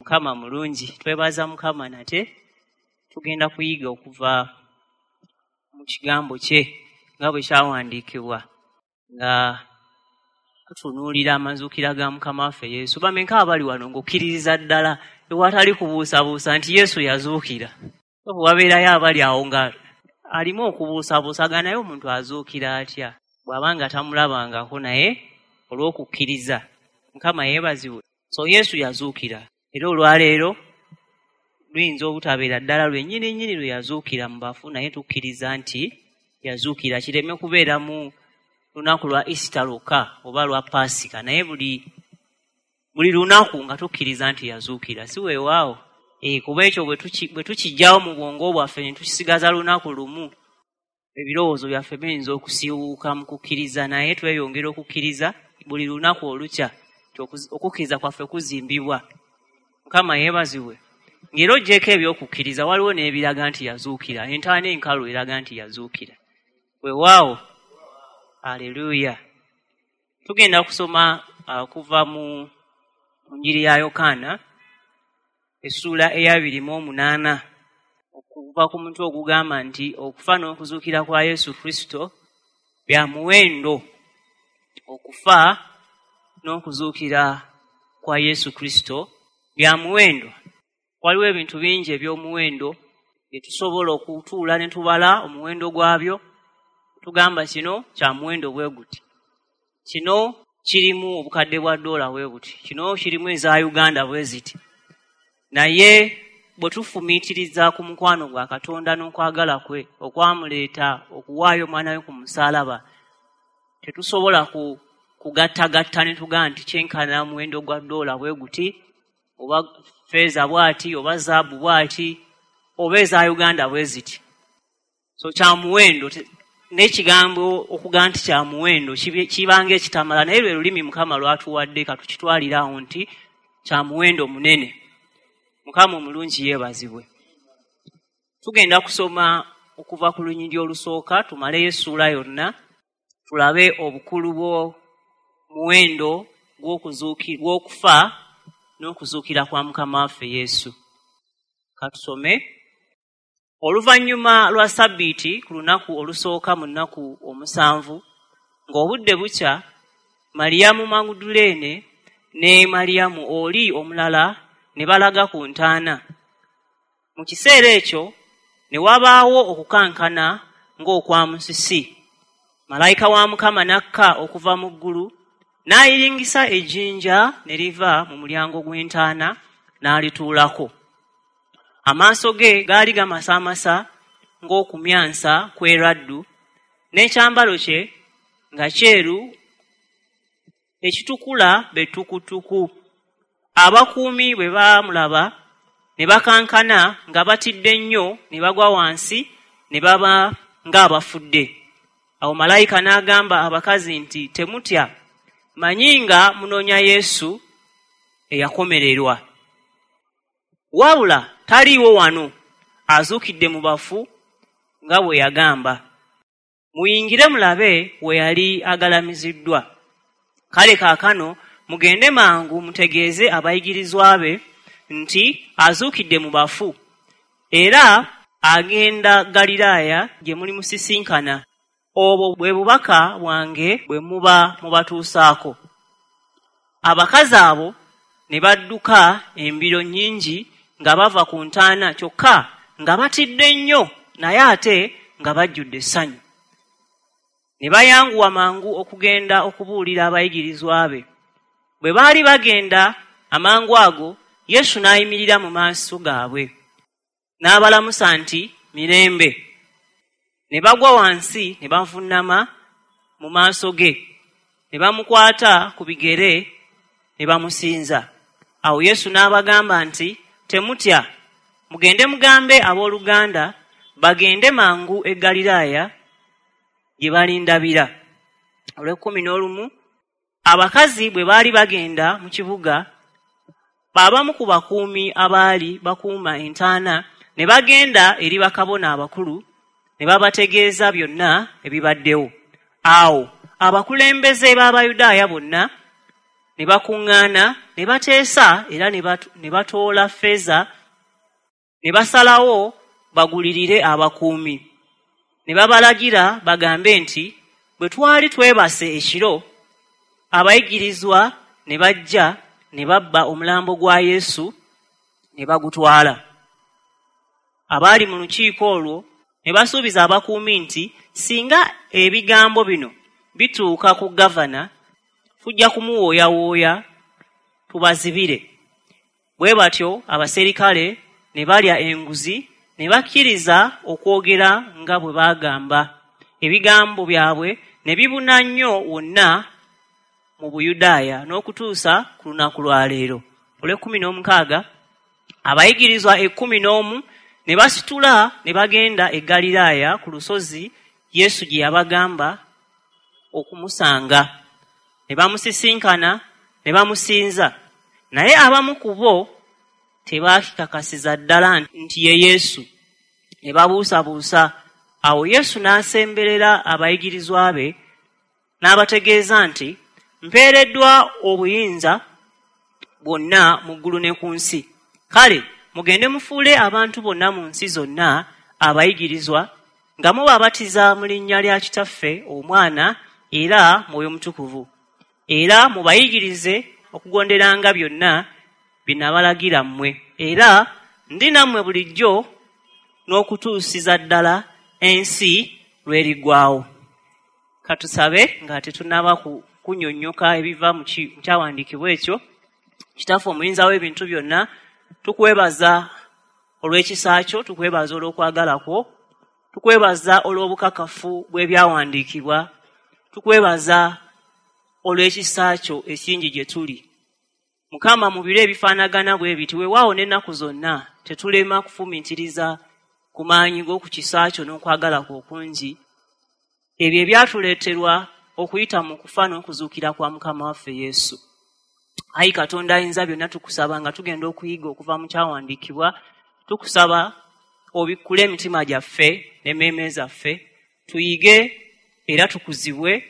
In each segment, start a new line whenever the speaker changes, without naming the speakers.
Mukama mulungi. Twebaza Mukama nate tugenda kuyiga okuva mu kigambo kye nga bwe kyawandiikibwa nga tutunuulira amazuukira ga Mukama waffe Yesu. Bameka abali wano ng'okkiririza ddala ewatali kubuusabuusa nti Yesu yazuukira? Bwe wabeerayo abali awo nga alimu okubuusabuusa ga naye omuntu azuukira atya bw'aba nga tamulabangako, naye olw'okukkiriza. Mukama yeebazibwe. So Yesu yazuukira, era olwaleero luyinza obutabeera ddala lwennyini nnyini lwe yazuukira mu bafu, naye tukkiriza nti yazuukira. Kireme kubeera mu lunaku lwa Easter lwokka oba lwa Paasika, naye buli lunaku nga tukkiriza nti yazuukira, si weewaawo? Kuba ekyo bwe tukiggyawo mu bwongo bwaffe ne tukisigaza lunaku lumu, ebirowoozo byaffe biyinza okusiiwuuka mu kukkiriza, naye tweyongera okukkiriza buli lunaku olukya, okukkiriza kwaffe kuzimbibwa. Mukama yeebazibwe. Ng'era oggyeko ebyokukkiriza, waliwo n'ebiraga nti yazuukira. Entaana enkalu eraga nti yazuukira. Weewaawo, aleluuya. Tugenda kusoma kuva mu Njiri ya Yokaana essuula eya 28, okuva ku mutwe ogugamba nti okufa n'okuzuukira kwa Yesu Kristo bya muwendo. Okufa n'okuzuukira kwa Yesu Kristo bya muwendo. Waliwo ebintu bingi eby'omuwendo bye tusobola okutuula ne tubala omuwendo gwabyo, tugamba kino kya muwendo bwe guti, kino kirimu obukadde bwa ddoola bwe buti, kino kirimu eza Uganda bwe ziti. Naye bwe tufumiitiriza ku mukwano gwa Katonda n'okwagala kwe okwamuleeta okuwaayo omwana we ku musaalaba, tetusobola kugattagatta ne tugamba nti kyenkana muwendo gwa ddoola bwe guti, oba feeza bw'ati, oba zaabu bw'ati, oba eza Uganda bwe ziti. So kya muwendo, n'ekigambo okugamba nti kya muwendo kibanga ekitamala, naye lwe lulimi Mukama lwatuwadde, katukitwalirawo nti kya muwendo munene. Mukama omulungi yeebazibwe. Tugenda kusoma okuva ku lunyiriri olusooka tumaleyo essuula yonna, tulabe obukulu bw'omuwendo gw'okufa n'okuzuukira kwa Mukama waffe Yesu. Katusome. Oluvannyuma lwa Sabbiiti, ku lunaku olusooka mu nnaku 7, ng'obudde bukya, Maliyamu Maguduleene ne Maliyamu oli omulala ne balaga ku ntaana. Mu kiseera ekyo ne wabaawo okukankana ng'okwa musisi. Malayika wa Mukama n'akka okuva mu ggulu, n'ayiringisa ejjinja ne liva mu mulyango gw'entaana n'alituulako. Amaaso ge gaali gamasamasa ng'okumyansa kw'eraddu, n'ekyambalo kye nga kyeru ekitukula be ttukutuku. Abakuumi bwe baamulaba ne bakankana nga batidde nnyo, ne bagwa wansi ne baba ng'abafudde. Awo malayika n'agamba abakazi nti, "Temutya, mmanyi nga munoonya Yesu eyakomererwa. Wabula taliiwo wano, azuukidde mu bafu nga bwe yagamba. Muyingire mulabe we yali agalamiziddwa. Kale kaakano mugende mangu mutegeeze abayigirizwa be nti azuukidde mu bafu, era agenda Ggaliraaya gye mulimusisinkana. Obwo bwe bubaka bwange bwe muba mubatuusaako." Abakazi abo ne badduka embiro nnyingi nga bava ku ntaana, kyokka nga batidde nnyo naye ate nga bajjudde essanyu. Ne bayanguwa mangu okugenda okubuulira abayigirizwa be. Bwe baali bagenda, amangu ago Yesu n'ayimirira mu maaso gaabwe n'abalamusa nti, "Mirembe." Ne bagwa wansi ne bavuunama mu maaso ge, ne bamukwata ku bigere ne bamusinza. Awo Yesu n'abagamba nti, "Temutya, mugende mugambe abooluganda bagende mangu e Ggaliraaya gye balindabira." Olw'ekkumi n'olumu, abakazi bwe baali bagenda mu kibuga, abamu ku bakuumi abaali bakuuma entaana ne bagenda eri bakabona abakulu ne babategeeza byonna ebibaddewo. Awo abakulembeze b'Abayudaaya bonna Ne bakuŋŋaana ne bateesa era ne batoola ffeeza ne basalawo bagulirire abakuumi. Ne babalagira bagambe nti, bwe twali twebase ekiro, abayigirizwa ne bajja ne babba omulambo gwa Yesu ne bagutwala. Abaali mu lukiiko olwo ne basuubiza abakuumi nti singa ebigambo bino bituuka ku gavana, tujja kumuwooyawooya tubazibire. Bwe batyo abaserikale ne balya enguzi ne bakkiriza okwogera nga bwe baagamba. Ebigambo byabwe ne bibuna nnyo wonna mu Buyudaaya n'okutuusa ku lunaku lwa leero. Olw'ekumi n'omukaaga, abayigirizwa 11 ne basitula ne bagenda e Ggaliraaya ku lusozi Yesu gye yabagamba okumusanga. Ne bamusisinkana ne bamusinza, naye abamu ku bo tebaakikakasiza ddala nti ye Yesu, ne babuusabuusa. Awo Yesu n'asemberera abayigirizwa be n'abategeeza nti, mpeereddwa obuyinza bwonna mu ggulu ne ku nsi. Kale mugende mufuule abantu bonna mu nsi zonna abayigirizwa, nga mubabatiza mu linnya lya Kitaffe, Omwana era Mwoyo Mutukuvu, era mubayigirize okugonderanga byonna bye nabalagira mmwe. Era ndi nammwe bulijjo n'okutuusiza ddala ensi lw'eriggwaawo. Katusabe nga tetunnaba kunnyonnyoka ebiva mu kyawandiikibwa ekyo. Kitaffe omuyinza w'ebintu byonna, tukwebaza olw'ekisa kyo, tukwebaza olw'okwagala kwo, tukwebaza olw'obukakafu bw'ebyawandiikibwa, tukwebaza olw'ekisa kyo ekingi gye tuli. Mukama, mu biro ebifaanagana bwe biti, weewaawo n'ennaku zonna, tetulema kufumiitiriza ku maanyi g'oku kisa kyo n'okwagala kwo okungi, ebyo ebyatuleeterwa okuyita mu kufa n'okuzuukira kwa Mukama waffe Yesu. Ayi Katonda ayinza byonna, tukusaba nga tugenda okuyiga okuva mu kyawandiikibwa, tukusaba obikkule emitima gyaffe n'emmeeme zaffe, tuyige era tukuzibwe,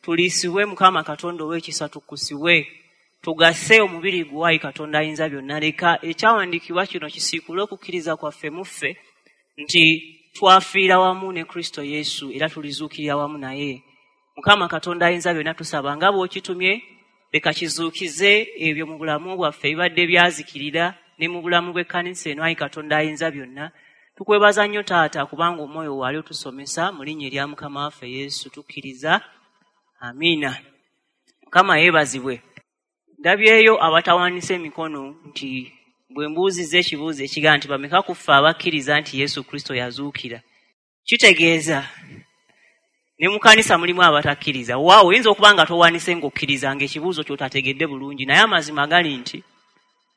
tuliisibwe. Mukama Katonda ow'ekisa, tukkusibwe, tugase omubiri gwo. Ayi Katonda ayinza byonna, leka ekyawandiikibwa kino kisiikule okukkiriza kwaffe mu ffe nti twafiira wamu ne Kristo Yesu era tulizuukirira wamu naye. Mukama Katonda ayinza byonna, tusaba nga bw'okitumye, leka kizuukize ebyo mu bulamu bwaffe ebibadde byazikirira ne mu bulamu bw'ekkanisa eno. Ayi Katonda ayinza byonna, tukwebaza nnyo Taata, kubanga Omwoyo waali otusomesa. Mu linnya erya Mukama waffe Yesu tukkiriza, amiina. Mukama yeebazibwe. Ndabyeyo abatawaanisa emikono nti bwe mbuuzizza ekibuuzo ekigaa nti bameka ku ffe abakkiriza nti Yesu Kristo yazuukira, kitegeeza ne mu kanisa mulimu abatakkiriza. Waawo oyinza okuba nga towanise ng'okkiriza ng'ekibuuzo ky'otategedde bulungi, naye amazima gali nti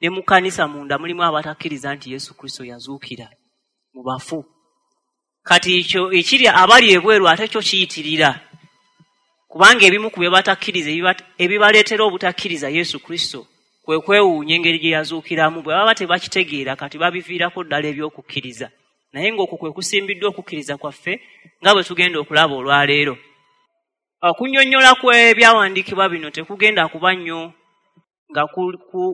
ne mu kanisa munda mulimu abatakkiriza nti Yesu Kristo yazuukira mu bafu. Kati ekyo ekiri abali ebweru ate kyo kiyitirira, kubanga ebimu ku bye batakkiriza, ebibaleetera obutakkiriza Yesu Kristo, kwe kwewuunya engeri gye yazuukiramu. Bwe baba tebakitegeera, kati babiviirako ddala eby'okukkiriza, naye ng'okwo kwe kusimbiddwa okukkiriza kwaffe nga bwe tugenda okulaba olwaleero. Okunnyonnyola kw'ebyawandiikibwa bino tekugenda kuba nnyo nga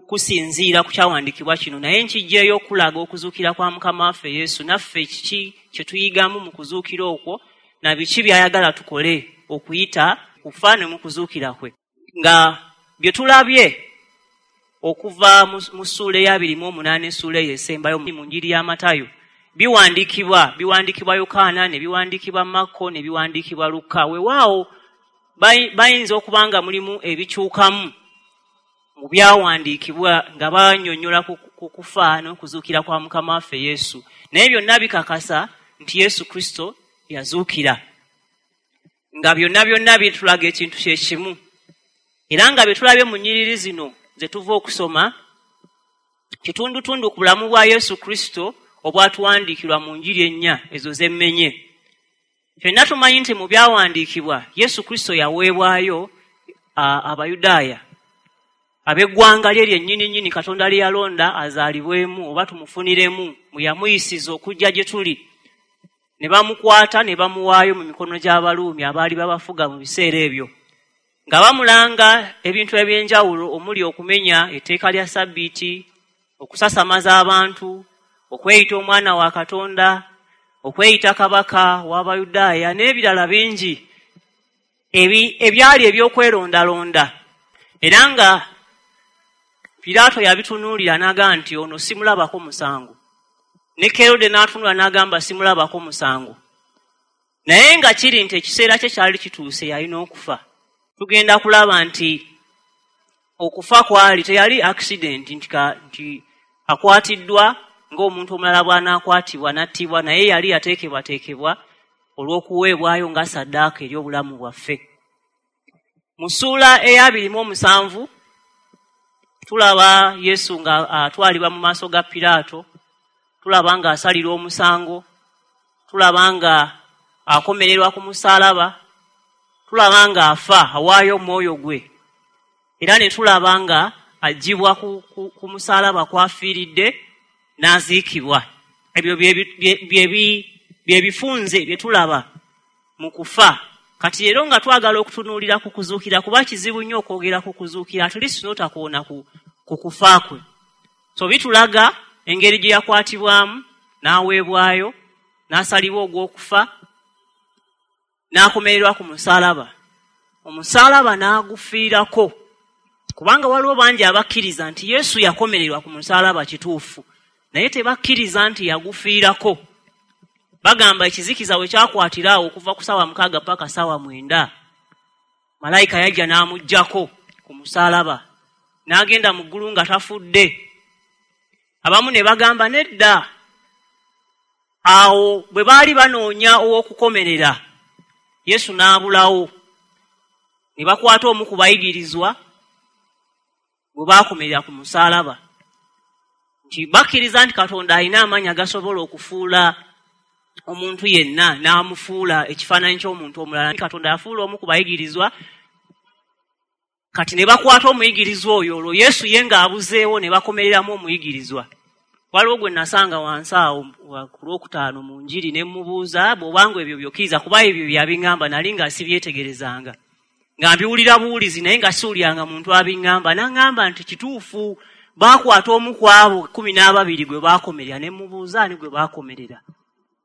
kusinziira ku kyawandiikibwa kino, naye nkiggyeyo okulaga okuzuukira kwa Mukama waffe Yesu, naffe kiki kye tuyigamu mu kuzuukira okwo, na biki by'ayagala tukole okuyita kufa ne mu kuzuukira kwe, nga bye tulabye okuva mu ssuula eya 28, essuula eyo esembayo mu njiri ya Matayo. Biwandiikibwa Yokaana, ne biwandiikibwa Makko, ne biwandiikibwa Lukka. Weewaawo bayinza okuba nga mulimu ebikyukamu mu byawandiikibwa nga bannyonnyola ku kufa n'okuzuukira kwa Mukama waffe Yesu, naye byonna bikakasa nti Yesu Kristo yazuukira, nga byonna byonna bitulaga ekintu kye kimu. Era nga bye tulabye mu nnyiriri zino ze tuva okusoma kitundutundu ku bulamu bwa Yesu Kristo obwatuwandiikirwa mu njiri ennya ezo zemmenye. Ffenna tumanyi nti mu byawandiikibwa Yesu Kristo yaweebwayo Abayudaaya, ab'eggwanga lye lyennyini nnyini Katonda lye yalonda azaalibwemu oba tumufuniremu, mwe yamuyisiza okujja gye tuli, ne bamukwata ne bamuwaayo mu mikono gy'Abaluumi abaali babafuga mu biseera ebyo. Nga bamulanga ebintu eby'enjawulo omuli okumenya etteeka lya Ssabbiiti, okusasamaza abantu, okweyita omwana wa Katonda, okweyita kabaka w'Abayudaaya n'ebirala bingi ebyali eby'okwerondalonda. Era nga Piraato yabitunuulira n'agamba nti ono simulabako musango. Ne Kerode n'atunula n'agamba simulabako musango. Naye nga kiri nti ekiseera kye kyali kituuse, yalina okufa. Tugenda kulaba nti okufa kwali teyali accident nti akwatiddwa ng'omuntu omulala bw'anaakwatibwa n'attibwa, naye yali yateekebwateekebwa olw'okuweebwayo nga ssaddaaka eri obulamu bwaffe. Mu ssuula eya 27 tulaba Yesu nga atwalibwa mu maaso ga Piraato, tulaba ng'asalirwa omusango, tulaba nga akomererwa ku musaalaba, tulaba ng'afa awaayo omwoyo gwe, era ne tulaba nga aggyibwa ku musaalaba kw'afiiridde n'aziikibwa. Ebyo bye bifunze bye tulaba mu kufa. Kati leero nga twagala okutunuulira ku kuzuukira, kuba kizibu nnyo okwogera ku kuzuukira at least n'otakoona ku kufa kwe. So bitulaga engeri gye yakwatibwamu n'aweebwayo, n'asalibwa ogw'okufa, n'akomererwa ku musaalaba, omusaalaba n'agufiirako. Kubanga waliwo bangi abakkiriza nti Yesu yakomererwa ku musaalaba, kituufu, naye tebakkiriza nti yagufiirako. Bagamba ekizikiza we kyakwatira awo okuva ku saawa 6 paka saawa 9, malayika yajja n'amuggyako ku musaalaba n'agenda mu ggulu nga tafudde. Abamu ne bagamba nedda, awo bwe baali banoonya ow'okukomerera Yesu n'abulawo, ne bakwata omu ku bayigirizwa bwe baakomerera ku musaalaba, nti bakkiriza nti Katonda alina amaanyi agasobola okufuula omuntu yenna n'amufuula ekifaananyi ky'omuntu omulala. Katonda yafuula omu ku bayigirizwa. Kati ne bakwata omuyigirizwa oyo, olwo Yesu ye ng'abuzeewo, ne bakomereramu omuyigirizwa. Waliwo gwe nasanga wansi awo ku Lwokutaano mu njiri, ne mubuuza, bw'obanga ebyo byokkiriza, kuba ebyo byabiŋŋamba nali nga sibyetegerezanga, nga mbiwulira buwulizi, naye nga siwuliranga muntu abiŋŋamba. N'aŋŋamba nti kituufu, baakwata omu ku abo 12 gwe baakomerera. Ne mubuuza ani gwe baakomerera,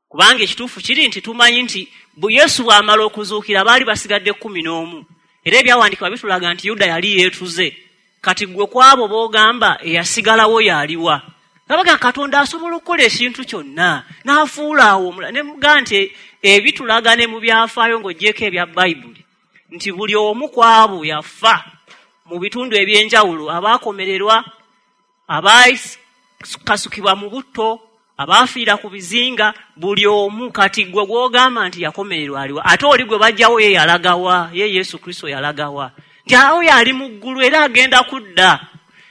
kubanga ekituufu kiri nti tumanyi nti Yesu bw'amala okuzuukira baali basigadde 11, era ebyawandiikibwa bitulaga nti Yuda yali yeetuze. Kati gwe ku abo b'ogamba eyasigalawo y'aliwa? Nga Katonda asobola okukola ekintu kyonna n'afuula awo omulala. Ne mugaa nti ebitulaga ne mu byafaayo ng'oggyeko ebya Bayibuli nti buli omu ku abo yafa mu bitundu ebyenjawulo, abaakomererwa, abaakasukibwa mu butto, abaafiira ku bizinga, buli omu. Kati gwe gw'ogamba nti yakomererwa aliwa? Ate oli gwe bajjawo ye yalagawa? Ye Yesu Kristo yalagawa? Nti awo yali mu ggulu era agenda kudda.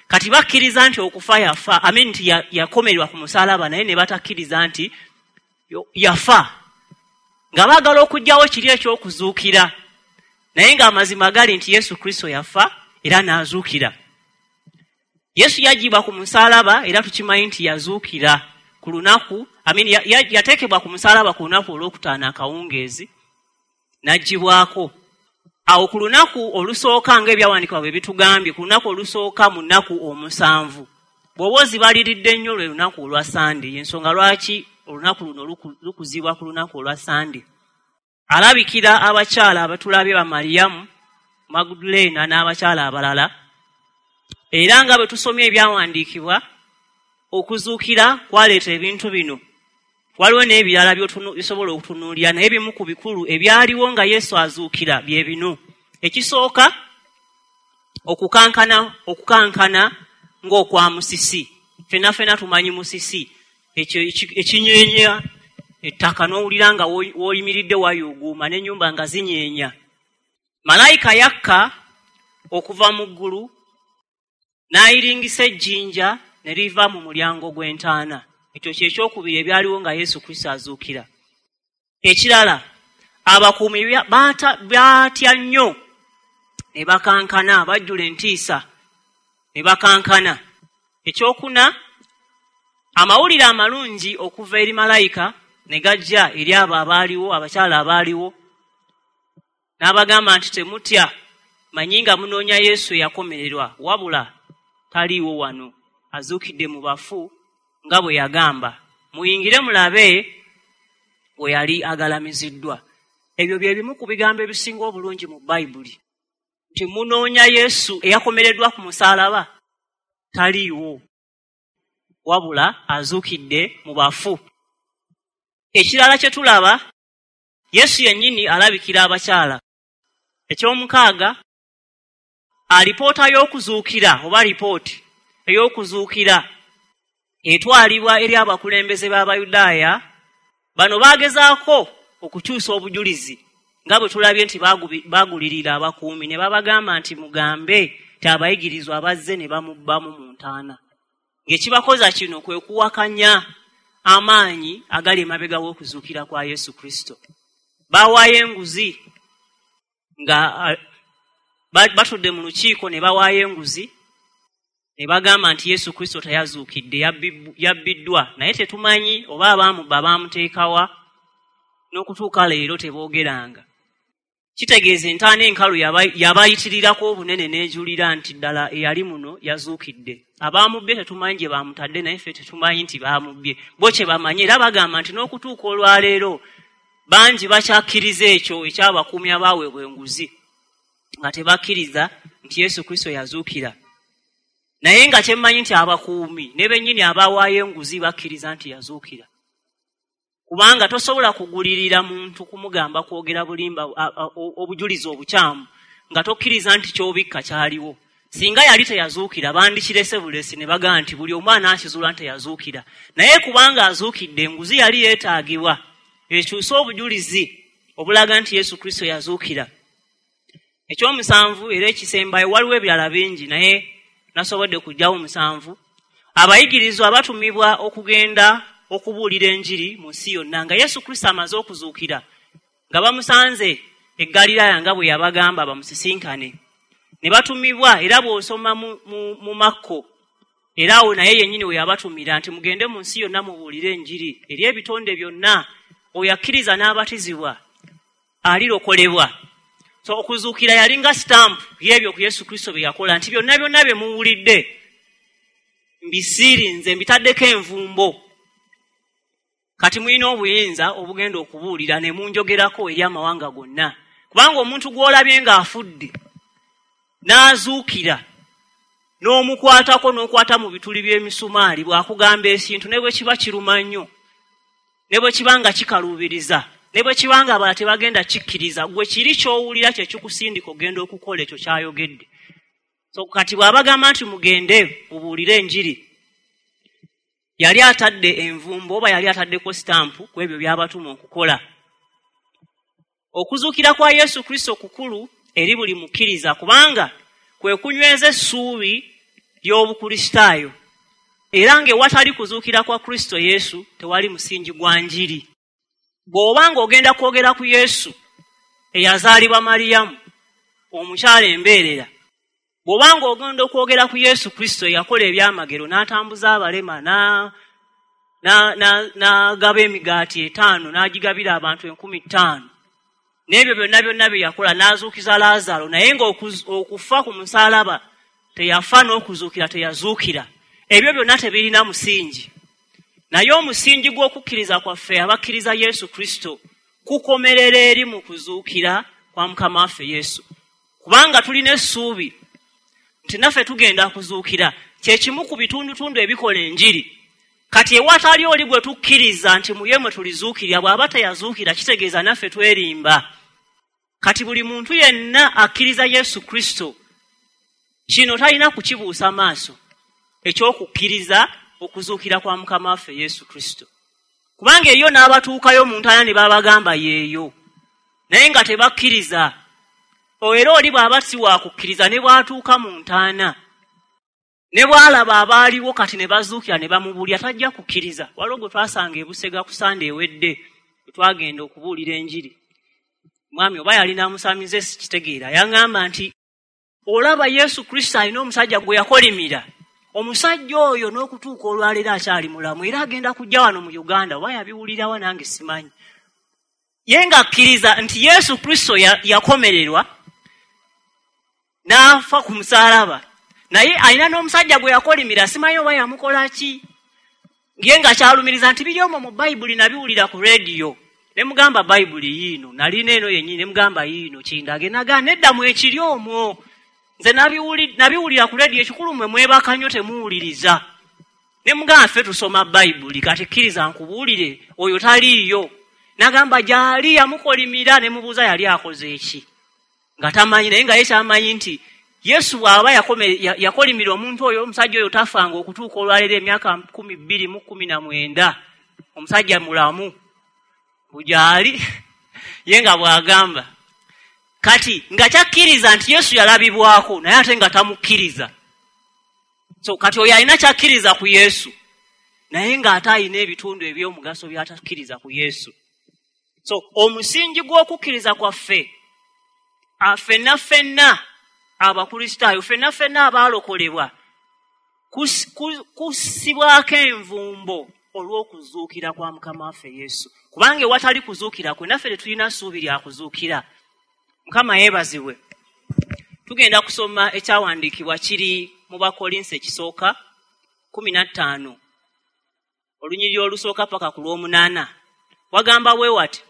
Kati bakkiriza nti okufa yafa, amin, nti yakomererwa ku musaalaba, naye ne batakkiriza nti yafa, nga baagala okuggyawo kiri ekyokuzuukira. Naye ng'amazima gali nti Yesu Kristo yafa era n'azuukira. Yesu yaggyibwa ku musaalaba era tukimanyi nti yazuukira ku lunaku, amin, yateekebwa ku musaalaba ku lunaku olwokutaano akawungeezi, n'aggyibwako awo ku lunaku olusooka ng'ebyawandiikibwa bwe bitugambye, ku lunaku olusooka mu nnaku 7. Bw'oba ozibaliridde nnyo, lwe lunaku olwa Sande. Yensonga lwaki olunaku luno lukuzibwa ku lunaku olwa Sande. Alabikira abakyala abatulabye, ba Mariyamu Magudulena n'abakyala abalala. Era nga bwe tusomye ebyawandiikibwa, okuzuukira kwaleeta ebintu bino. Waliwo n'ebirala byosobola okutunuulira, naye bimu ku bikulu ebyaliwo nga Yesu azuukira bye bino. Ekisooka, okukankana, okukankana ng'okwa musisi. Fenna fenna tumanyi musisi, ekyo ekinyeenya ettaka n'owulira nga w'oyimiridde wayuuguuma n'ennyumba nga zinyeenya. Malayika yakka okuva mu ggulu n'ayiringisa ejjinja ne liva mu mulyango gw'entaana. Ekyo kyekyokubiri ebyaliwo nga Yesu Kristo azuukira. Ekirala, abakuumi baatya nnyo ne bakankana, bajjula entiisa ne bakankana. Ekyokuna, amawulire amalungi okuva eri malayika ne gajja eri abo abaaliwo, abakyala abaaliwo, n'abagamba nti temutya. Manyi nga munoonya Yesu eyakomererwa, wabula taliiwo wano, azuukidde mu bafu nga bwe yagamba. Muyingire mulabe we yali agalamiziddwa. Ebyo bye bimu ku bigambo ebisinga obulungi mu Bayibuli, nti munoonya Yesu eyakomereddwa ku musaalaba, taliiwo, wabula azuukidde mu bafu. Ekirala kye tulaba, Yesu yennyini alabikira abakyala. Ekyomukaaga, alipoota y'okuzuukira oba lipooti ey'okuzuukira etwalibwa eri abakulembeze b'Abayudaaya. Bano baagezaako okukyusa obujulizi nga bwe tulabye nti baagulirira abakuumi ne babagamba nti mugambe nti abayigirizwa bazze ne bamubbamu mu ntaana. Ng'ekibakoza kino kwe kuwakanya amaanyi agali emabega w'okuzuukira kwa Yesu Kristo. Baawaayo enguzi nga batudde mu lukiiko ne bawaayo enguzi ne bagamba nti Yesu Kristo teyazuukidde, yabbiddwa, naye tetumanyi oba abaamubba baamuteekawa, n'okutuuka leero teboogeranga. Kitegeeza entaana enkalu yabayitirirako obunene n'ejulira nti ddala eyali muno yazuukidde. Abaamubbye tetumanyi gye baamutadde, naye ffe tetumanyi nti baamubbye. Bo kye bamanyi, era bagamba nti n'okutuuka olwaleero bangi bakyakkiriza ekyo ekyabakuumi abaaweebwa enguzi, nga tebakkiriza nti Yesu Kristo yazuukira. Naye nga kyemmanyi nti abakuumi ne bennyini abaawaayo enguzi bakkiriza nti yazuukira. Kubanga tosobola kugulirira muntu kumugamba kwogera bulimba obujulizi obukyamu nga tokkiriza nti ky'obikka kyaliwo. Singa yali teyazuukira bandikirese bulesi ne bagamba nti buli omu anaakizuula nti teyazuukira. Naye kubanga azuukidde, enguzi yali yeetaagibwa ekyuse obujulizi obulaga nti Yesu Kristo yazuukira. Ekyomusanvu era ekisembayo, waliwo ebirala bingi naye nasobodde kuggyawo musanvu. Abayigirizwa batumibwa okugenda okubuulira enjiri mu nsi yonna nga Yesu Kristo amaze okuzuukira, nga bamusanze e Ggaliraaya nga bwe yabagamba bamusisinkane. Ne batumibwa, era bw'osoma mu Makko, era awo naye yennyini we yabatumira nti mugende mu nsi yonna mubuulire enjiri eri ebitonde byonna, oyo akkiriza n'abatizibwa alirokolebwa. So okuzuukira yalinga sitampu y'ebyo ku Yesu Kristo bye yakola, nti byonna byonna bye muwulidde mbisiirinze, mbitaddeko envumbo. Kati mulina obuyinza obugenda okubuulira ne munjogerako eri amawanga gonna. Kubanga omuntu gw'olabye ng'afudde n'azuukira n'omukwatako n'okwata mu bituli by'emisumaali, bw'akugamba ekintu ne bwe kiba kiruma nnyo, ne bwe kiba nga kikaluubiriza, ne bwe kiba nga abalala tebagenda kikkiriza, gwe kiri ky'owulira kye kikusindika ogenda okukola ekyo ky'ayogedde. So kati bw'abagamba nti mugende mubuulire enjiri, yali atadde envumbo oba yali ataddeko sitampu ku ebyo by'abatuma okukola. Okuzuukira kwa Yesu Kristo kukulu eri buli mukkiriza, kubanga kwe kunyweza essuubi ly'Obukristaayo. Era ng'ewatali kuzuukira kwa Kristo Yesu tewali musingi gwa njiri. Bw'oba ng'ogenda kwogera ku Yesu eyazaalibwa Mariyamu omukyala embeerera, bw'oba ng'ogenda okwogera ku Yesu Kristo eyakola ebyamagero n'atambuza abalema, n'agaba emigaati 5 n'agigabira abantu 5,000, n'ebyo byonna byonna bye yakola, n'azuukiza Laazaalo, naye ng'okufa ku musaalaba teyafa n'okuzuukira teyazuukira, ebyo byonna tebirina musingi. Naye omusingi gw'okukkiriza kwaffe abakkiriza Yesu Kristo kukomerera eri mu kuzuukira kwa Mukama waffe Yesu. Kubanga tulina essuubi nti naffe tugenda kuzuukira, kye kimu ku bitundutundu ebikola enjiri. Kati ewatali oli gwe tukkiriza nti mu ye mwe tulizuukirira, bw'aba teyazuukira kitegeeza naffe twerimba. Kati buli muntu yenna akkiriza Yesu Kristo kino talina kukibuusa maaso, eky'okukkiriza okuzuukira kwa Mukama waffe Yesu Kristo. Kubanga eriyo n'abatuukayo mu ntaana ne babagamba yeeyo, naye nga tebakkiriza. Era oli bw'aba si wa kukkiriza ne bw'atuuka mu ntaana, ne bw'alaba abaaliwo kati ne bazuukira ne bamubuulira, tajja kukkiriza. Waliwo gwe twasanga e Busega ku Sande ewedde, bwe twagenda okubuulira enjiri. Mwami oba yalina musamize sikitegeera, yaŋŋamba nti olaba Yesu Kristo alina omusajja gwe yakolimira. Omusajja oyo n'okutuuka olwaleero akyali mulamu, era agenda kujja wano mu Uganda, oba yabiwulirawa nange simanyi. Ye ng'akkiriza nti Yesu Kristo yakomererwa, N'afa ku musaalaba. Naye alina n'omusajja gwe yakolimira, simanyi oba yamukola ki. Ye nga kyalumiriza nti biri omwo mu Bayibuli nabiwulira ku rediyo. Ne mugamba Bayibuli yiino, nalina eno yennyini, ne mugamba yiino kindage. Naga nedda mwekiri omwo. Nze nabiwulira ku rediyo, ekikulu mmwe mwebaka nnyo temuwuliriza. Ne mugamba ffe tusoma Bayibuli, kati kkiriza nkubuulire, oyo taliiyo. Nagamba gy'ali yamukolimira, ne mubuuza yali akoze ki. Nga tamanyi, naye nga ye kyamanyi nti Yesu bw'aba yakolimira omuntu oyo, omusajja oyo tafanga okutuuka olwaleero emyaka 2019. Omusajja mulamu gy'ali, ye nga bw'agamba. Kati nga kyakkiriza nti Yesu yalabibwako, naye ate nga tamukkiriza. So kati oyo alina kyakkiriza ku Yesu, naye ng'ate alina ebitundu eby'omugaso by'atakkiriza ku Yesu. So omusingi gw'okukkiriza kwaffe, ffenna ffenna Abakristaayo, ffenna ffenna abaalokolebwa, kussibwako envumbo olw'okuzuukira kwa Mukama waffe Yesu. Kubanga ewatali kuzuukira kwe, naffe tetulina ssuubi lya kuzuukira. Mukama yeebazibwe. Tugenda kusoma ekyawandiikibwa kiri mu Bakolinso ekisooka 15, olunyiriri olusooka paka ku lw'omunaana. Wagamba bwe wati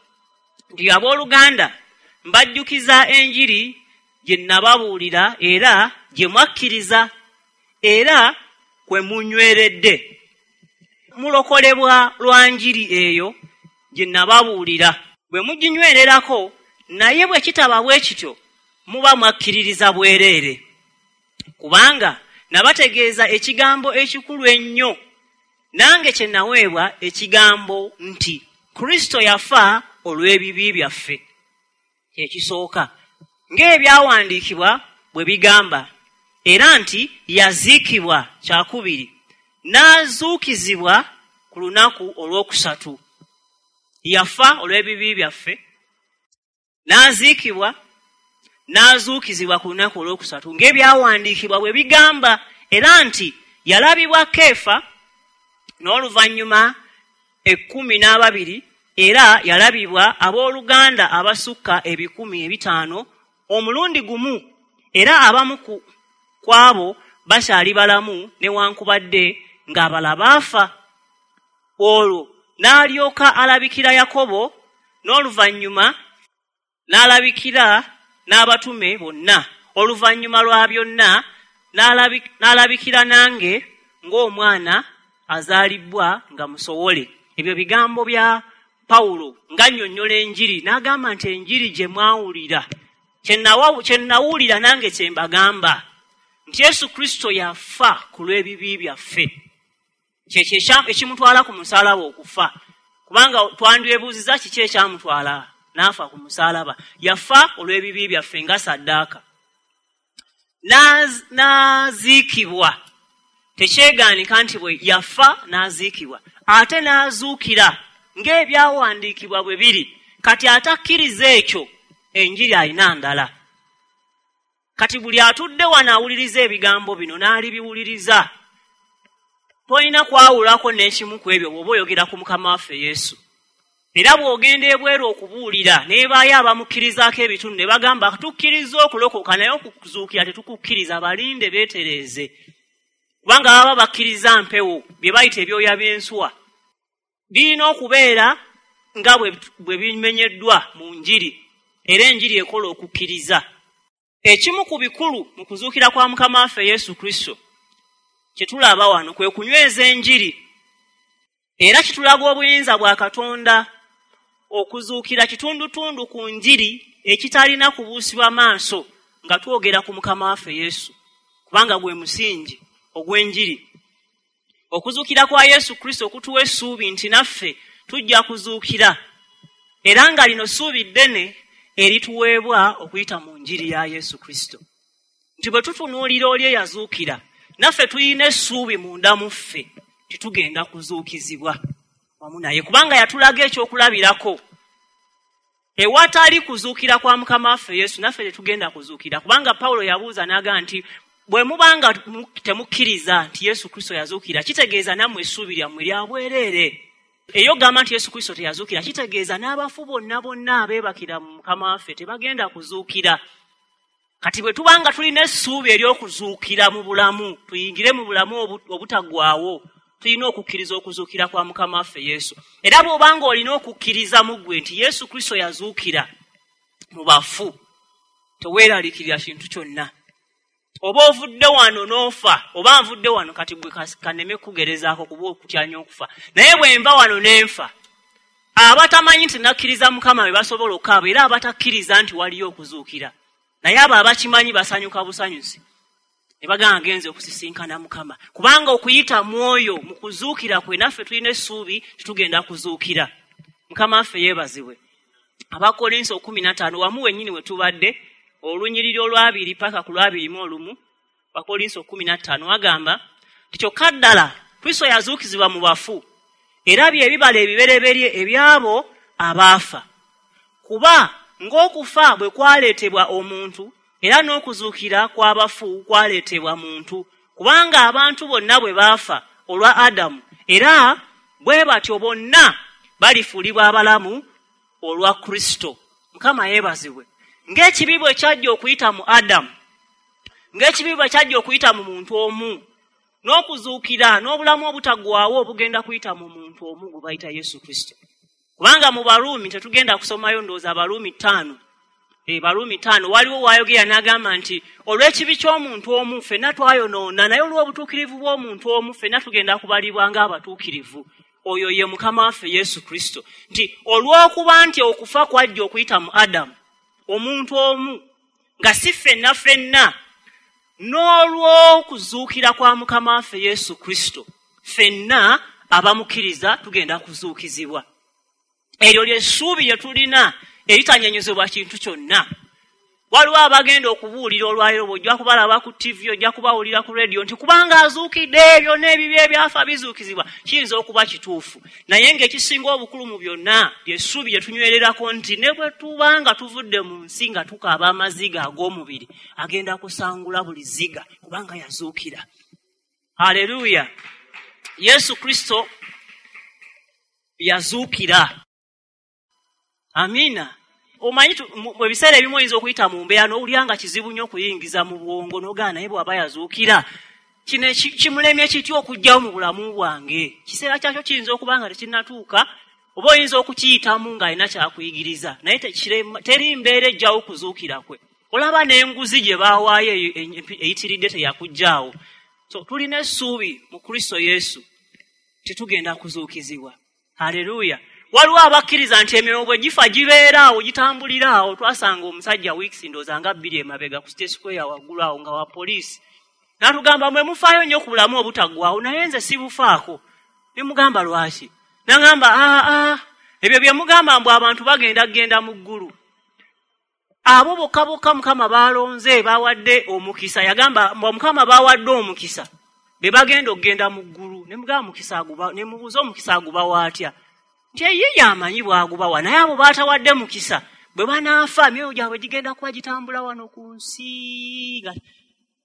nti, abooluganda, mbajjukiza enjiri gye nababuulira era gye mwakkiriza era kwe munyweredde. Mulokolebwa lwa njiri eyo gye nababuulira, bwe muginywererako, naye bwe kitaba bwe kityo muba mwakkiririza bwereere. Kubanga nabategeeza ekigambo ekikulu ennyo, nange kye naweebwa ekigambo nti Kristo yafa olw'ebibi byaffe. Ekisooka, ng'ebyawandiikibwa bwe bigamba, era nti yaziikibwa, kyakubiri, n'azuukizibwa ku lunaku olwokusatu. Yafa olw'ebibi byaffe, n'aziikibwa, n'azuukizibwa ku lunaku olwokusatu, ng'ebyawandiikibwa bwe bigamba, era nti yalabibwa Keefa, n'oluvannyuma 12, era yalabibwa abooluganda abasukka 500 omulundi gumu, era abamu ku abo bakyali balamu newankubadde ng'abalala baafa. Olwo n'alyoka alabikira Yakobo, n'oluvannyuma n'alabikira n'abatume bonna. Oluvannyuma lwa byonna n'alabikira nange ng'omwana azaalibwa nga musowole. Ebyo bigambo bya Pawulo ng'annyonnyola enjiri, n'agamba nti enjiri gye mwawulira, kye nawulira nange kye mbagamba, nti Yesu Kristo yafa ku lw'ebibi byaffe. Kyekyo ekimutwala ku musaalaba okufa. Kubanga twandyebuuziza kiki ekyamutwala n'afa ku musaalaba. Yafa olw'ebibi byaffe nga ssaddaaka. N'aziikibwa. Tekyeganika nti bwe yafa n'aziikibwa, ate n'azuukira ng'ebyawandiikibwa bwe biri. Kati atakkiriza ekyo, enjiri alina ndala. Kati buli atudde wano awuliriza ebigambo bino n'alibiwuliriza, tolina kwawulako n'ekimu ku ebyo bw'oba oyogera ku Mukama waffe Yesu. Era bw'ogenda ebweru okubuulira, n'ebaayo abamukkirizaako ebitundu ne bagamba tukkiriza okulokoka naye okuzuukira tetukukkiriza, balinde beetereeze. Kubanga baba bakkiriza mpewo, bye bayita ebyoya by'ensuwa. Birina okubeera nga bwe bimenyeddwa mu njiri, era enjiri ekola okukkiriza. Ekimu ku bikulu mu kuzuukira kwa Mukama waffe Yesu Kristo kye tulaba wano kwe kunyweza enjiri. Era kitulaga obuyinza bwa Katonda okuzuukira kitundutundu ku njiri ekitalina kubuusibwa maaso nga twogera ku Mukama waffe Yesu, kubanga gwe musingi ogw'enjiri. Okuzuukira kwa Yesu Kristo kutuwa essuubi nti naffe tujja kuzuukira, era nga lino ssuubi ddene erituweebwa okuyita mu njiri ya Yesu Kristo. Nti bwe tutunuulira oli eyazuukira, naffe tulina essuubi munda mu ffe titugenda kuzuukizibwa wamu naye, kubanga yatulaga ekyokulabirako. Ewatali kuzuukira kwa Mukama waffe Yesu, naffe tetugenda kuzuukira, kubanga Pawulo yabuuza n'agamba nti bwe mubanga temukkiriza nti Yesu Kristo yazuukira, kitegeeza nammwe essuubi lyammwe lya bwereere. Eyo gamba nti Yesu Kristo teyazuukira, kitegeeza n'abafu bonna bonna abeebakira mu Mukama waffe tebagenda kuzuukira. Kati bwe tuba nga tulina essuubi ery'okuzuukira mu bulamu, tuyingire mu bulamu obutaggwaawo, tulina okukkiriza okuzuukira kwa Mukama waffe Yesu. Era bw'oba nga olina okukkiriza mu ggwe nti Yesu Kristo yazuukira mu bafu, teweeraliikirira kintu kyonna. Oba ovudde wano n'ofa, oba nvudde wano, kati gwe kaneme kugerezaako kuba okutya nnyo okufa, naye bwe nva wano n'enfa, abatamanyi nti nakkiriza Mukama be basobola okukaaba, era abatakkiriza nti waliyo okuzuukira, naye abo abakimanyi basanyuka busanyusi ne bagamba ngenze okusisinkana Mukama, kubanga okuyita mwoyo mu kuzuukira kwe naffe tulina essuubi titugenda kuzuukira. Mukama waffe yeebazibwe. Abakolinso 15 wamu wennyini we tubadde, olunyiriri olwabiri paka ku 21, Abakolinso 15 wagamba nti kyokka ddala Kristo yazuukizibwa mu bafu, era bye bibala ebibereberye ebyabo abaafa. Kuba ng'okufa bwe kwaleetebwa omuntu, era n'okuzuukira kw'abafu kwaleetebwa muntu. Kubanga abantu bonna bwe baafa olwa Adamu, era bwe batyo bonna balifuulibwa abalamu olwa Kristo. Mukama yeebazibwe. Ng'ekibi bwe kyajja okuyita mu Adamu, ng'ekibi bwe kyajja okuyita mu muntu omu, n'okuzuukira n'obulamu obutaggwaawo obugenda kuyita mu muntu omu gwe bayita Yesu Kristo. Kubanga mu Baruumi tetugenda kusomayo, ndowooza Abaruumi 5. Baruumi 5 waliwo waayogera n'agamba nti olw'ekibi ky'omuntu omu ffenna twayonoona, naye olw'obutuukirivu bw'omuntu omu ffenna tugenda kubalibwa ng'abatuukirivu. Oyo ye Mukama waffe Yesu Kristo. Nti olw'okuba nti okufa kwajja okuyita mu Adamu, omuntu omu, nga si ffenna ffenna, n'olw'okuzuukira kwa Mukama waffe Yesu Kristo ffenna abamukkiriza tugenda kuzuukizibwa. Eryo ly'essuubi lye tulina eritanyenyezebwa kintu kyonna. Waliwo abagenda okubuulira olwaleero, bw'ojja kubalaba ku TV, ojja kubawulira ku radio nti kubanga azuukidde, byonna ebibi ebyafa bizuukizibwa. Kiyinza okuba kituufu, naye ng'ekisinga obukulu mu byonna ly'essuubi lye tunywererako nti ne bwe tuba nga tuvudde mu nsi nga tukaaba amaziga ag'omubiri, agenda kusangula buli zziga kubanga yazuukira. Haleluya! Yesu Kristo yazuukira. Amiina. Omanyi ebiseera ebimu oyinza okuyita mu mbeera n'owulira nga kizibu nnyo okuyingiza mu bwongo, n'ogaana, naye bw'aba yazuukira kino kimulemye kitya okuggyawo mu bulamu bwange? Kiseera kyakyo kiyinza okuba nga tekinnatuuka, oba oyinza okukiyitamu ng'alina kyakuyigiriza, naye teri mbeera ejjawo kuzuukira kwe. Olaba n'enguzi gye baawaayo eyitiridde teyakuggyaawo. So tulina essuubi mu Kristo Yesu tetugenda kuzuukizibwa. Haleluya. Waliwo abakkiriza nti emyoyo bwe gifa gibeera awo, gitambulira awo. Twasanga omusajja weeks ndowooza nga 2 emabega ku State Square waggulu awo nga wa poliisi, n'atugamba mwe mufaayo nnyo ku bulamu obutaggwaawo, naye nze sibufaako. Ne mugamba lwaki? N'agamba ebyo bye mugamba mbu abantu bagenda kugenda mu ggulu, abo bokka bokka Mukama baalonze bawadde omukisa. Yagamba mbu Mukama baawadde omukisa be bagenda okugenda mu ggulu. Ne mugamba mukisa aguba, ne mubuuza omukisa agubawa atya? Nti ye yamanyi bw'agubawa, naye abo baatawadde mukisa bwe banaafa emyoyo gyabwe gigenda kuba gitambula wano ku nsi.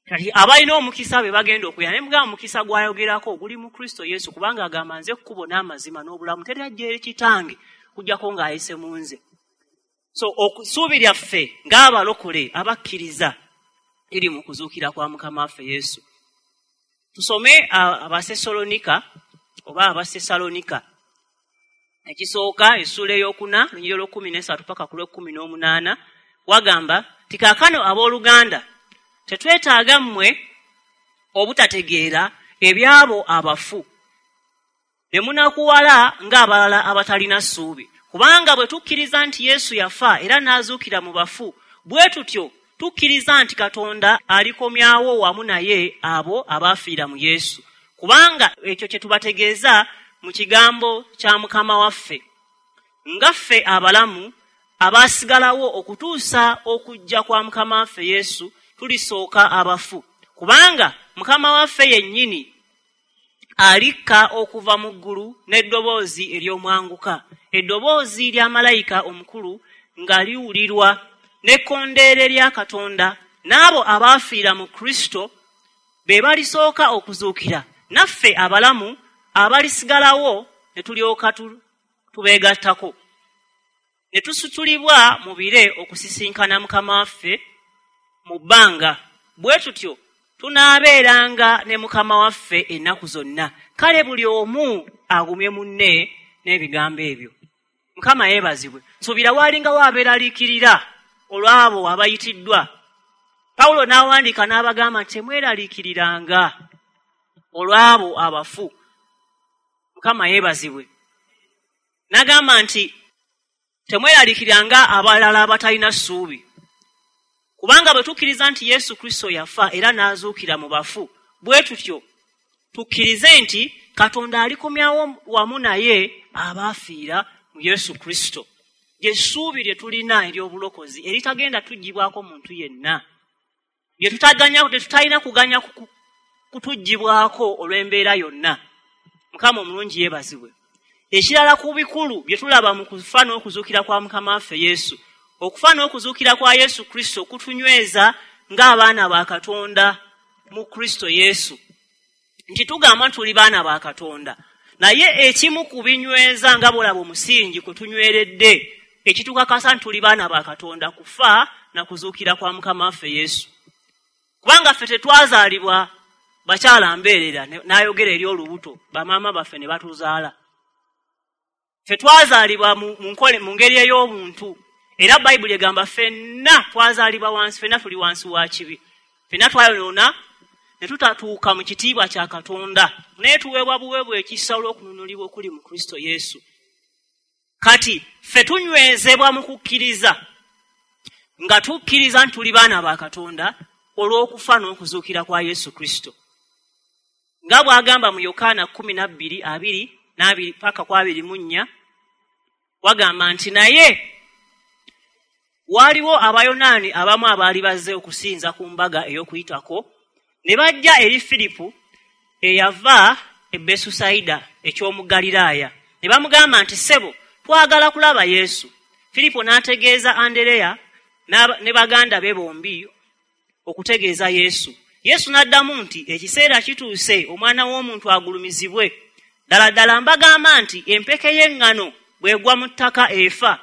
Kati abalina omukisa be bagenda okuya. Naye mugamba omukisa gw'ayogerako guli mu Kristo Yesu, kubanga agamba nze kkubo n'amazima n'obulamu, teri ajja eri kitange kujjako ng'ayise mu nze. So essuubi lyaffe ng'abalokole abakkiriza liri mu kuzuukira kwa Mukama waffe Yesu. Tusome Abasesalonika oba Abasesalonika ekisooka essuula 4 lunyiriri olw'13 paka ku lw'18, wagamba nti kaakano abooluganda tetwetaaga mmwe obutategeera ebyabo abafu, ne munakuwala ng'abalala abatalina ssuubi. Kubanga bwe tukkiriza nti Yesu yafa era n'azuukira mu bafu, bwe tutyo tukkiriza nti Katonda alikomyawo wamu naye abo abaafiira mu Yesu. Kubanga ekyo kye tubategeeza mu kigambo kya Mukama waffe, nga ffe abalamu abaasigalawo okutuusa okujja kwa Mukama waffe Yesu tulisooka abafu. Kubanga Mukama waffe yennyini alikka okuva mu ggulu n'eddoboozi ery'omwanguka, eddoboozi lya malayika omukulu nga liwulirwa, n'ekkondeere lya Katonda, n'abo abaafiira mu Kristo be balisooka okuzuukira, naffe abalamu abalisigalawo ne tulyoka tubeegattako, ne tusitulibwa mu bire okusisinkana Mukama waffe mu bbanga, bwe tutyo tunaabeeranga ne Mukama waffe ennaku zonna. Kale buli omu agumye munne n'ebigambo ebyo. Mukama yeebazibwe. Nsuubira waalingawo abeeraliikirira olw'abo abayitiddwa. Pawulo n'awandiika n'abagamba nti temweraliikiriranga olw'abo abafu. Mukama yeebazibwe. N'agamba nti temweraliikiriranga abalala abatalina ssuubi, kubanga bwe tukkiriza nti Yesu Kristo yafa era n'azuukira mu bafu, bwe tutyo tukkirize nti Katonda alikomyawo wamu naye abaafiira mu Yesu Kristo. Lye ssuubi lye tulina ery'obulokozi eritagenda tuggyibwako muntu yenna, lye tutalina kuganya kutuggyibwako olw'embeera yonna. Mukama omulungi yeebazibwe. Ekirala ku bikulu bye tulaba mu kufa n'okuzuukira kwa Mukama waffe Yesu, okufa n'okuzuukira kwa Yesu Kristo kutunyweza ng'abaana ba Katonda mu Kristo Yesu. Nti tugamba nti tuli baana ba Katonda, naye ekimu ku binyweza nga bw'olaba omusingi kwe tunyweredde ekitukakasa nti tuli baana ba Katonda kufa na kuzuukira kwa Mukama waffe Yesu. Kubanga ffe tetwazaalibwa bakyala mbeerera n'ayogera eri olubuto, bamaama baffe ne batuzaala. Ffe twazaalibwa mu ngeri ey'obuntu, era Bayibuli egamba ffenna twazaalibwa wansi, ffenna tuli wansi wa kibi, ffenna twayonoona ne tutatuuka mu kitiibwa kya Katonda, naye tuweebwa buweebwa ekisa olw'okununulibwa okuli mu Kristo Yesu. Kati ffe tunywezebwa mu kukkiriza, nga tukkiriza nti tuli baana ba Katonda olw'okufa n'okuzuukira kwa Yesu Kristo. Nga bw'agamba mu Yokaana 12:22 paka ku 24, wagamba nti naye waaliwo Abayonaani abamu abaali bazze okusinza ku mbaga ey'Okuyitako, ne bajja eri Firipo eyava e Besusayida eky'omu Ggaliraaya, ne bamugamba nti ssebo, twagala kulaba Yesu. Firipo n'ategeeza Andereya ne baganda be bombi okutegeeza Yesu. Yesu n'addamu nti ekiseera kituuse omwana w'omuntu agulumizibwe. Ddala ddala mbagamba nti empeke y'eŋŋano bw'egwa mu ttaka efa,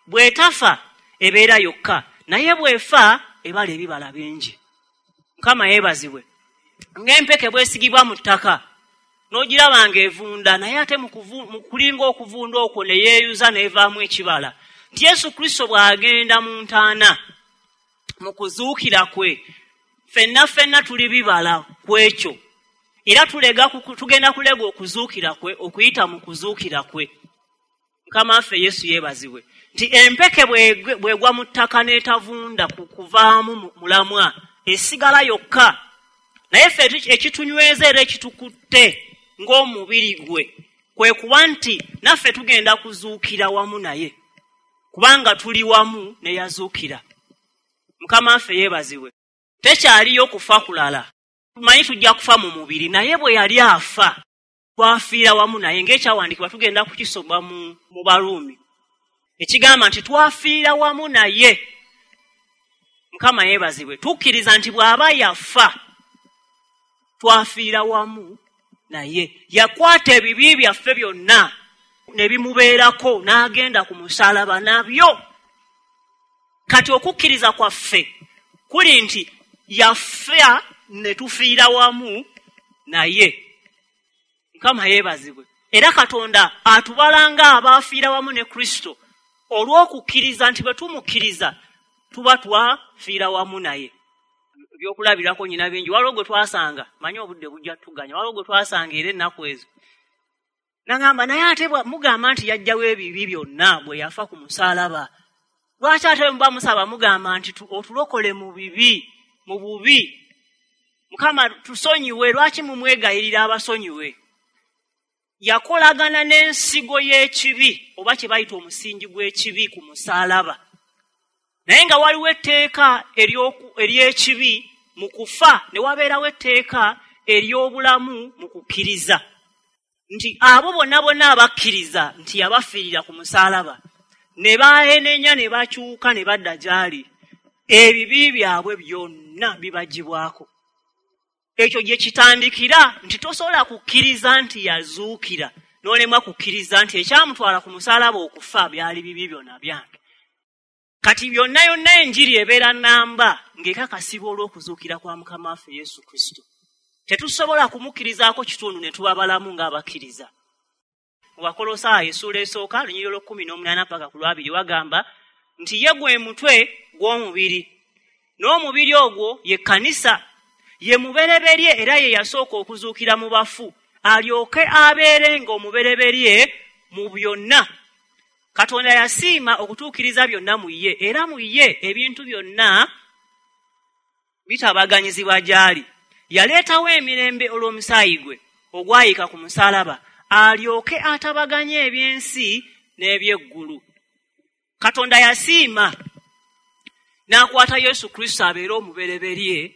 bw'etafa ebeera yokka, naye bw'efa ebala ebibala bingi. Mukama yeebazibwe. Ng'empeke bwesigibwa mu ttaka n'ogiraba ng'evunda, naye ate mu kulinga okuvunda okwo ne yeeyuza n'evaamu ekibala. Nti Yesu Kristo bw'agenda mu ntaana mu kuzuukira kwe, ffenna ffenna tuli bibala ku ekyo, era tugenda kulega okuzuukira kwe okuyita mu kuzuukira kwe. Mukama waffe Yesu yeebazibwe. Nti empeke bw'egwa mu ttaka n'etavunda kuvaamu mulamwa, esigala yokka, naye ffe ekitunyweza era ekitukutte ng'omubiri gwe kwe kuba nti naffe tugenda kuzuukira wamu naye, kubanga tuli wamu ne yazuukira. Mukama waffe yeebazibwe. Tekyaliyo kufa kulala, tumanyi tujja kufa mu mubiri, naye bwe yali afa twafiira wamu naye, ng'ekyawandiikibwa tugenda kukisoma mu Baruumi ekigamba nti twafiira wamu naye. Mukama yeebazibwe. Tukkiriza nti bw'aba yafa twafiira wamu naye, yakwata ebibi byaffe byonna ne bimubeerako n'agenda ku musaalaba nabyo. Kati okukkiriza kwaffe kuli nti yafa ne tufiira wamu naye. Mukama yeebazibwe. Era Katonda atubala ng'abaafiira wamu ne Kristo olw'okukkiriza nti bwe tumukkiriza tuba twafiira wamu naye. Ebyokulabirako nyina bingi. Waliwo gwe twasanga, manyi obudde bujja tuganya, waliwo gwe twasanga era ennaku ezo nagamba, naye ate mugamba nti yajjawo ebibi byonna bwe yafa ku musaalaba, lwaki ate muba musaba mugamba nti otulokole mu bibi, mu bubi, Mukama tusonyiwe, lwaki mumwegayirira abasonyiwe? Yakolagana n'ensigo y'ekibi oba kye bayita omusingi gw'ekibi ku musaalaba, naye nga waliwo etteeka ery'ekibi mu kufa, ne wabeerawo etteeka ery'obulamu mu kukkiriza, nti abo bonna bonna abakkiriza nti yabafiirira ku musaalaba ne baenenya ne bakyuka ne badda gy'ali, ebibi byabwe byonna bibagibwako. Ekyo gye kitandikira nti tosobola kukkiriza nti yazuukira n'olemwa kukkiriza nti ekyamutwala ku musaalaba okufa byali bibi byonna byange. Kati byonna yonna enjiri ebeera namba ng'ekakasibwa olw'okuzuukira kwa Mukama waffe Yesu Kristo. Tetusobola kumukkirizaako kitundu ne tuba balamu ng'abakkiriza. Mu Bakolosaayo essuula esooka lunyiriri olw'o18 paka ku lwabiri wagamba nti ye gwe mutwe gw'omubiri, n'omubiri ogwo ye kkanisa, ye mubereberye era ye yasooka okuzuukira mu bafu, alyoke abeerenga omubereberye mu byonna. Katonda yasiima okutuukiriza byonna mu ye, era mu ye ebintu byonna bitabaganyizibwa gy'ali. Yaleetawo emirembe olw'omusaayi gwe ogwayika ku musaalaba, alyoke atabaganye ebyensi n'ebyeggulu. Katonda yasiima n'akwata Yesu Kristo abeere omubereberye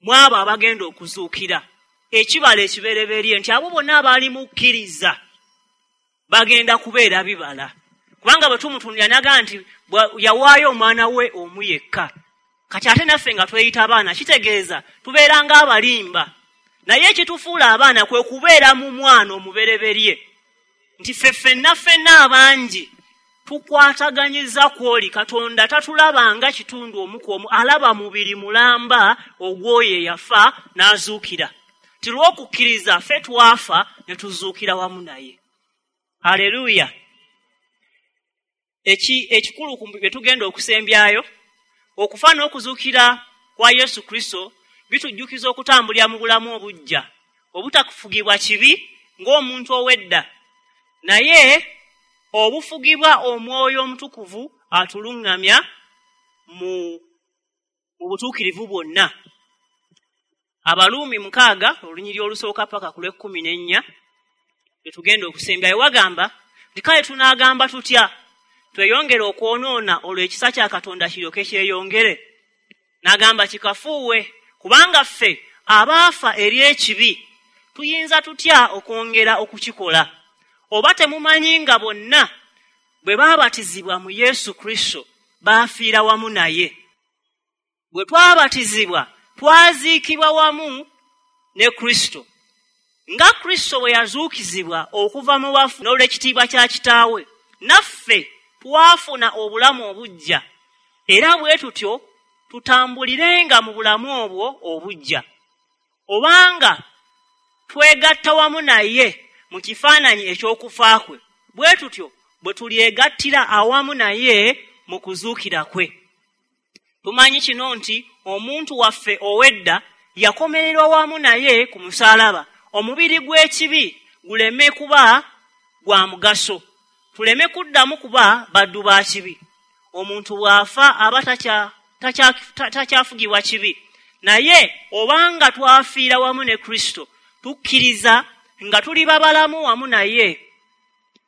mu abo abagenda okuzuukira, ekibala ekibereberye nti abo bonna abaali mukkiriza bagenda kubeera bibala. Kubanga bwe tumutunulira naga nti yawaayo omwana we omu yekka. Kati ate naffe nga tweyita abaana kitegeeza tubeera ng'abalimba. Naye ekitufuula abaana kwe kubeera mu mwana omubereberye, nti ffe ffenna ffenna abangi tukwataganyiza kw'oli. Katonda tatulabanga kitundu omu ku omu, alaba mubiri mulamba ogw'oyo eyafa n'azuukira. Ti lw'okukkiriza ffe twafa ne tuzuukira wamu naye. Haleluya! Ekikulu bye tugenda okusembyayo, okufa n'okuzuukira kwa Yesu Kristo bitujjukiza okutambulira mu bulamu obuggya, obutakufugibwa kibi ng'omuntu ow'edda, naye obufugibwa Omwoyo Omutukuvu atuluŋŋamya mu butuukirivu bwonna. Abaluumi 6 olunyiriri olusooka paka ku lw'e14 lwe tugenda okusembyayo, wagamba nti kale tunaagamba tutya? Tweyongere okwonoona olwo ekisa kya Katonda kiryoke kyeyongere? N'agamba kikafuuwe, kubanga ffe abaafa eri ekibi tuyinza tutya okwongera okukikola? Oba temumanyi nga bonna bwe baabatizibwa mu Yesu Kristo baafiira wamu naye? Bwe twabatizibwa twaziikibwa wamu ne Kristo, nga Kristo bwe yazuukizibwa okuva mu bafu n'olw'ekitiibwa kya Kitaawe, naffe twafuna obulamu obuggya, era bwe tutyo tutambulirenga mu bulamu obwo obuggya. Obanga twegatta wamu naye mu kifaananyi eky'okufa kwe, bwe tutyo bwe tulyegattira awamu naye mu kuzuukira kwe. Tumanyi kino nti omuntu waffe ow'edda yakomererwa wamu naye ku musaalaba, omubiri gw'ekibi guleme kuba gwa mugaso, tuleme kuddamu kuba baddu ba kibi. Omuntu bw'afa aba takyafugibwa kibi, naye obanga twafiira wamu ne Kristo, tukkiriza nga tuli babalamu wamu naye.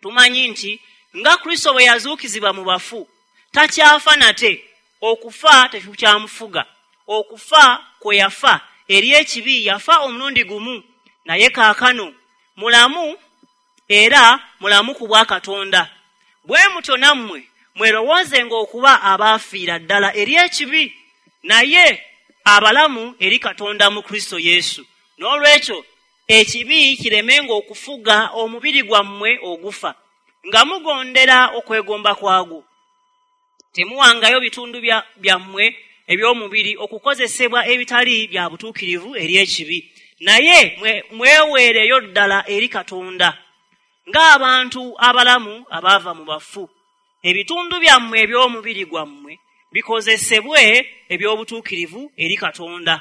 Tumanyi nti nga Kristo bwe yazuukizibwa mu bafu, takyafa nate, okufa tekukyamufuga. Okufa kwe yafa eri ekibi yafa omulundi gumu, naye kaakano mulamu, era mulamu ku bwa Katonda. Bwe mutyo nammwe mwerowoozenga okuba abaafiira ddala eri ekibi, naye abalamu eri Katonda mu Kristo Yesu. N'olwekyo ekibi kiremenga okufuga omubiri gwammwe ogufa, nga mugondera okwegomba kwagwo. Temuwangayo bitundu byammwe eby'omubiri okukozesebwa ebitali bya butuukirivu eri ekibi, naye mweweereyo ddala eri Katonda ng'abantu abalamu abaava mu bafu. Ebitundu byammwe eby'omubiri gwammwe bikozesebwe eby'obutuukirivu eri Katonda.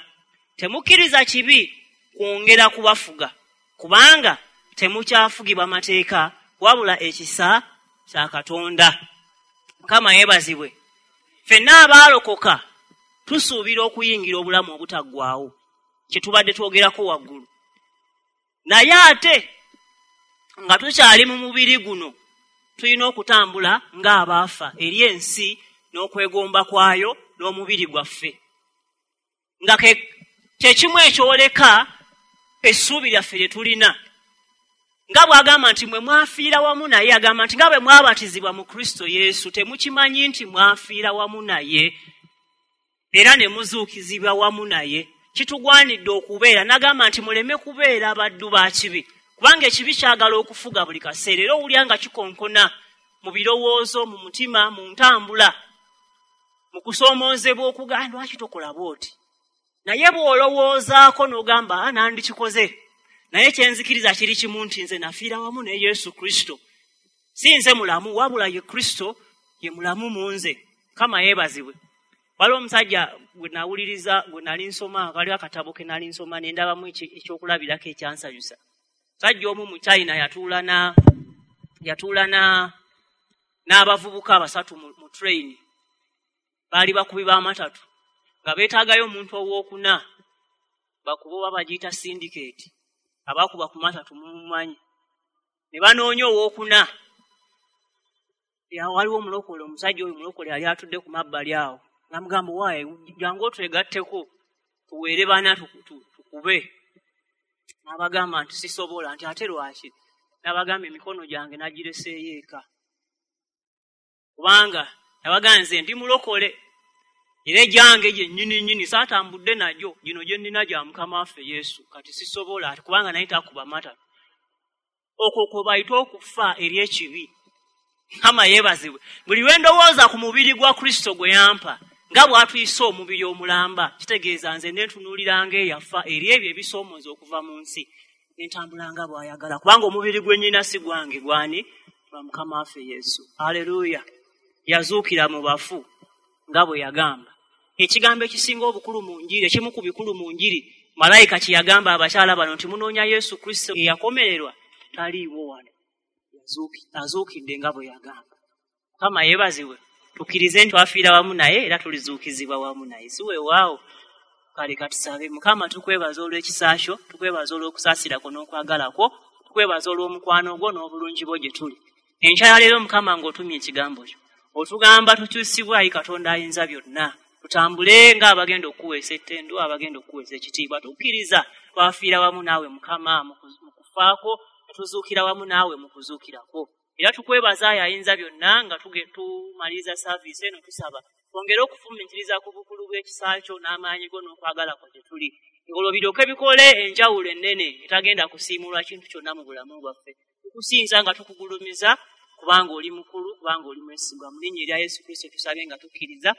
Temukkiriza kibi kwongera kubafuga, kubanga temukyafugibwa mateeka, wabula ekisa kya Katonda. Mukama yeebazibwe. Ffenna abaalokoka tusuubira okuyingira obulamu obutaggwaawo, kye tubadde twogerako waggulu. Naye ate nga tukyali mu mubiri guno, tulina okutambula ng'abaafa eri ensi n'okwegomba kwayo n'omubiri gwaffe, nga kyekimu ekyoleka essuubi lyaffe lye tulina. Nga bw'agamba nti mwe mwafiira wamu naye, agamba nti nga bwe mwabatizibwa mu Kristo Yesu, temukimanyi nti mwafiira wamu naye era ne muzuukizibwa wamu naye? Kitugwanidde okubeera, n'agamba nti muleme kubeera baddu ba kibi, kubanga ekibi kyagala okufuga buli kaseera, era owulira nga kikonkona mu birowoozo, mu mutima, mu ntambula. Mu kusoomoozebwa okugamba lwaki tokola bw'oti, naye bw'olowoozaako n'ogamba nandikikoze. Naye kyenzikiriza kiri kimu nti nze nafiira wamu ne Yesu Kristo, si nze mulamu wabula ye Kristo ye mulamu mu nze. Mukama yeebazibwe. Waliwo omusajja gwe nawuliriza, gwe nali nsoma, waliwo akatabo ke nali nsoma ne ndabamu ekyokulabirako ekyansanyusa. Omusajja omu mu China yatuula n'abavubuka basatu mu train. Baali bakubi b'amatatu nga beetaagayo omuntu owookuna bakuba oba bagiyita syndicate, abakuba ku matatu mumumanyi. Ne banoonya owookuna. Waliwo omulokole, omusajja oyo mulokole yali atudde ku mabbali awo, n'amugamba, waaye jangu otwegatteko tuweere bana tukube. N'abagamba nti sisobola, nti ate lwaki? N'abagamba emikono gyange nagireseeyo eka, kubanga nabagamba nze ndi mulokole era egyange gyennyini nnyini saatambudde nagyo, gino gye nnina gya Mukama waffe Yesu, kati sisobola, ati kubanga naye takuba matatu. Okwo kwe bayita okufa eri ekibi. Mukama yeebazibwe. Buli lwe ndowooza ku mubiri gwa Kristo gwe yampa nga bw'atuyisa omubiri omulamba, kitegeeza nze nentunuuliranga eyafa eri ebyo ebisoomooza okuva mu nsi, nentambula nga bw'ayagala, kubanga omubiri gwe nnyina si gwange, gwani? Gwa Mukama waffe Yesu. Aleluya. Yazuukira mu bafu nga bwe yagamba. Ekigambo ekisinga obukulu mu njiri, ekimu ku bikulu mu njiri, malayika kye yagamba abakyala bano nti munoonya Yesu Kristo eyakomererwa, taliiwo wano, azuukidde nga bwe yagamba. Mukama yeebazibwe. Tukkirize nti twafiira wamu naye era tulizuukizibwa wamu naye, si weewaawo? Kale katusabe. Mukama, tukwebaza olw'ekisa kyo, tukwebaza olw'okusaasira kwo n'okwagala kwo, tukwebaza olw'omukwano gwo n'obulungi bwo gye tuli. Enkya ya leero Mukama ng'otumye ekigambo kyo, otugamba tukyusibwe, ayi Katonda ayinza byonna, tutambule ng'abagenda okukuweesa ettendo, abagenda okukuweesa ekitiibwa. Tukkiriza twafiira wamu naawe Mukama mu kufaako, ne tuzuukira wamu naawe mu kuzuukirako. Era tukwebaza ayi ayinza byonna nga tumaliriza saaviisi eno, tusaba twongere okufumiitiriza ku bukulu bw'ekisa kyo n'amaanyi go n'okwagala kwo gye tuli, ng'olwo biryoke bikole enjawulo ennene etagenda kusiimulwa kintu kyonna mu bulamu bwaffe. Tukusinza nga tukugulumiza, kubanga oli mukulu, kubanga oli mwesigwa. Mu linnya erya Yesu Kristo tusabye nga tukkiriza.